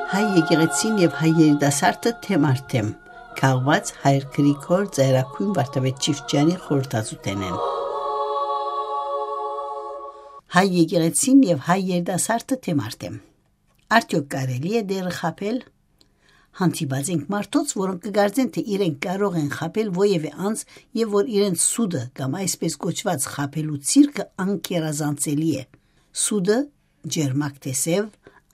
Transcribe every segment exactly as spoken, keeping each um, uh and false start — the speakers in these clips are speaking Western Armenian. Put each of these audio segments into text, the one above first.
Հայ եկեղեցին եւ հայ երիտասարդը թեմ առ թեմ, քաղուած Հայր Գրիգոր Ծայրագոյն Վարդապետ Չիֆճեանի խորհրդածութենէն։ Հայ եկեղեցին եւ հայ երիտասարդը թեմ առ թեմ։ Արդյոք կարելի՞ է դերը խաբել։ Հանդիպած ենք մարդոց, որոնք կը կարծեն, թէ իրենք կարող են խաբել որեւէ անձ եւ որ իրենց սուտը կամ այսպես կոչուած խաբելու ցիրքը անկերազանցելի է։ Սուտը, ջերմակ թէ սեւ,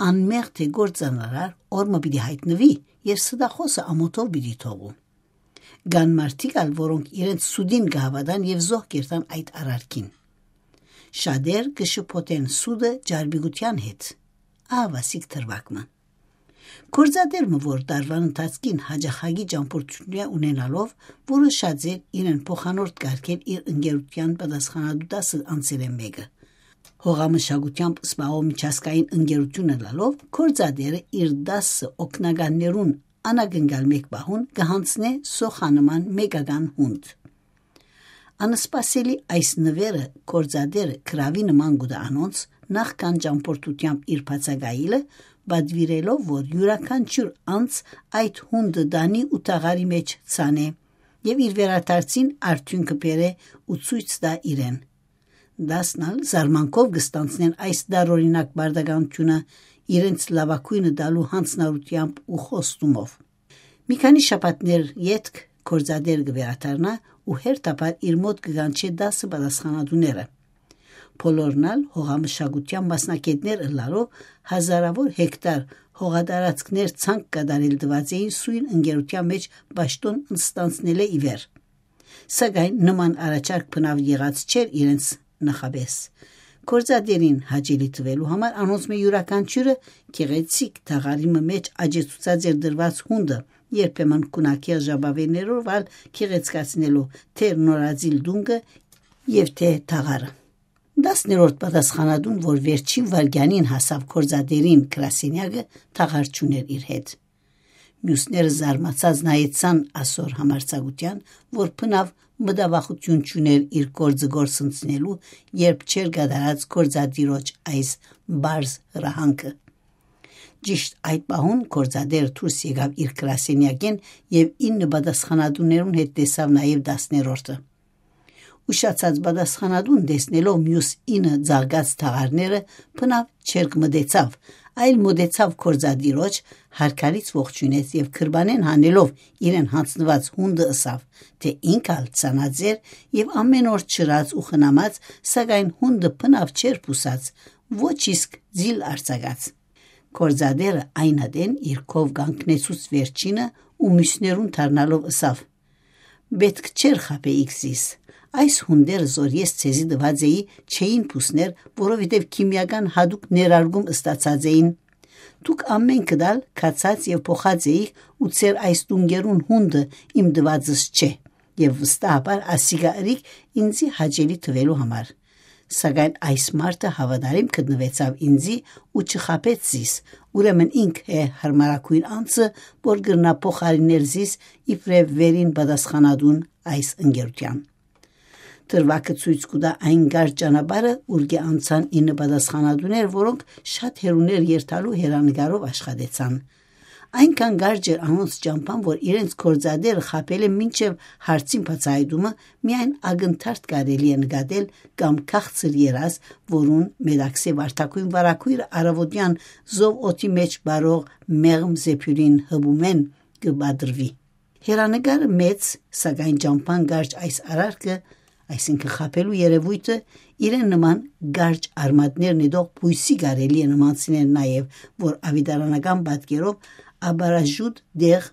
անմեղ թէ գործանարար, օր մը պիտի յայտնուի եւ ստախոսը ամօթով պիտի թողու։ Կան մարդիկ ալ, որոնք իրենց սուտին կը հաւատան եւ զոհ կերթան այդ արարքին։ Շատեր կը շփոթեն սուտը ճարպիկութեան հետ։ Ահա վասիկ դրուագ մը։ Գործատեր մը, որ տարուան ընթացքին յաճախակի ճամբորդութիւններ ունենալով, որոշած էր իրեն փոխանորդ կարգել իր ընկերութեան պատասխանատու տասը անձերէն մէկը։ Հողամշակութեամբ զբաղող միջազգային ընկերութիւն ըլլալով, գործատերը իր տասը օգնականներուն անակնկալ մէկ պահուն կը յանձնէ սոխանման մեկական յունդ։ Անսպասելի այս նուերը գործատերը գրաւի նման կու տայ անոնց, նախքան ճամբորդութեամբ իր բացակայելը, պատուիրելով, որ իւրաքանչիւր անձ այդ յունդը տանի ու թաղարի մէջ ցանէ եւ իր վերադարձին արդիւնքը բերէ ու ցոյց տայ իրեն։ Տասն ալ զարմանքով կը ստանձնեն այս տարօրինակ պարտականութիւնը իրենց լաւագոյնը տալու յանձնառութեամբ ու խոստումով։ Մի քանի շաբաթներ ետք գործատեր կը վերադառնայ ու հերթաբար իր մօտ կը կանչէ տասը պատասխանատուները։ Բոլորն ալ հողամշակութեան մասնագետներ ըլլալով, հազարաւոր հեկտար հողատարածքներ ցանկ կատարել տուած էին սոյն ընկերութեան մէջ պաշտօն ստանձնելէ ի վեր։ Սակայն նման առաջարկ բնաւ եղած չէր իրենց նախապէս։ Գործատերին հաճելի տուելու համար անոնցմէ իւրաքանչիւրը գեղեցիկ թաղարի մը մէջ աճեցուցած էր դրուած յունդը, երբեմն գունագեղ ժապաւէներով ալ գեղեցկացնելու թէ նորածիլ տունկը եւ թէ թաղարը։ Տասներորդ պատասխանատուն, որ վերջին վայրկեանին հասաւ գործատերին գրասենեակը, թաղար չունէր իր հետ։ Միւսները զարմացած նայեցան ասոր համարձակութեան, որ բնաւ մտավախութիւն չունէր իր գործը գործընծնելու, երբ չէր կատարած գործատիրոջ այս պարզ հրահանգը։ Ճիշտ այդ պահուն գործատերը դուրս եկաւ իր գրասենեակէն եւ ինը պատասխանատուներուն հետ տեսաւ նաեւ տասներորդը։ Ուշացած պատասխանատուն, տեսնելով միւս ինը ձաղկած թաղարները, բնաւ չերկմտեցաւ, այլ մօտեցաւ գործատիրոջ, հարկարից ողջունեց եւ գրպանէն հանելով իրեն յանձնուած յունդը, ըսաւ, թէ ինք ալ ցանած էր եւ ամէն օր չրած ու խնամած, սակայն յունդը բնաւ չէր պուսած, ոչ իսկ ձիլ արձակած։ Գործատերը այն ատեն իր քով կանգնեցուց վերջինը ու միւսներուն դառնալով ըսաւ. «Պէտք չէր խաբէիք զիս։ Այս յունդերը, զոր ես ձեզի տուած էի, չէին պուսներ, որովհետեւ քիմիական յատուկ ներարկում ստացած էին։ Դուք ամէնքդ ալ գացած եւ փոխած էիք ու ձեր այս տունկերուն յունդը իմ տուածս չէ, եւ վստահաբար ասիկա ըրիք ինծի հաճելի տուելու համար։ Սակայն այս մարդը հաւատարիմ գտնուեցաւ ինծի ու չխաբեց զիս, ուրեմն ինք է յարմարագոյն անձը, որ կրնայ փոխարինել զիս իբրեւ վերին պատասխանատուն այս ընկերութեան»։ Դրուագը ցոյց կու տայ այն կարճ ճանապարհը, ուր կը անցան ինը պատասխանատուներ, որոնք շատ հեռուներ երթալու հեռանկարով աշխատեցան։ Այնքան կարճ էր անոնց ճամբան, որ իրենց գործատերը խաբելէ մինչեւ հարցին բացահայտումը միայն ակնթարթ կարելի է նկատել կամ քաղցր երազ, որուն մետաքսէ վարդագոյն վարագոյրը առաւօտեան զով օդի մէջ բարող մեղմ զեփիւրին հպումէն կը պատռուի։ Հեռանկարը մեծ, սակայն ճամբան կարճ այս արարքը, այսինքն խաբելու երեւոյթը, իրեն նման կարճ արմատներ նետող բոյսի կարելի է նմանցնել նաեւ, որ աւետարանական պատկերով աբարաժուտ դեղ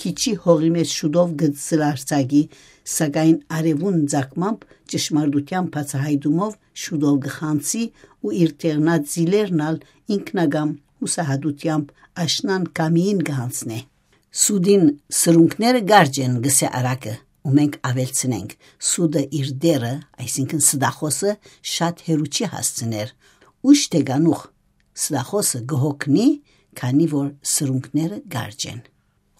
քիչի հողի մէջ շուտով կը զլարցակի, սակայն արեւուն ձակմամբ, ճշմարտութեան բացահայտումով շուտով կը խանցի ու իր թեղնած զիլերն ալ ինքնակամ յուսահատութեամբ աշնան կամիին կը յանձնէ։ «Սուտին սրունքները կարճ են», գսէ արագը, ու մենք աւելցնենք. «Սուտը իր դերը, այսինքն ստախոսը, շատ հեռու չի հասցներ։ Ուշ թէ կանուխ, ստախոսը կը հոգնի, քանի որ սրունքները կարճ են։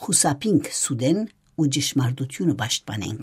Խուսափինք սուտէն ու ճշմարտութիւնը պաշտպանենք»։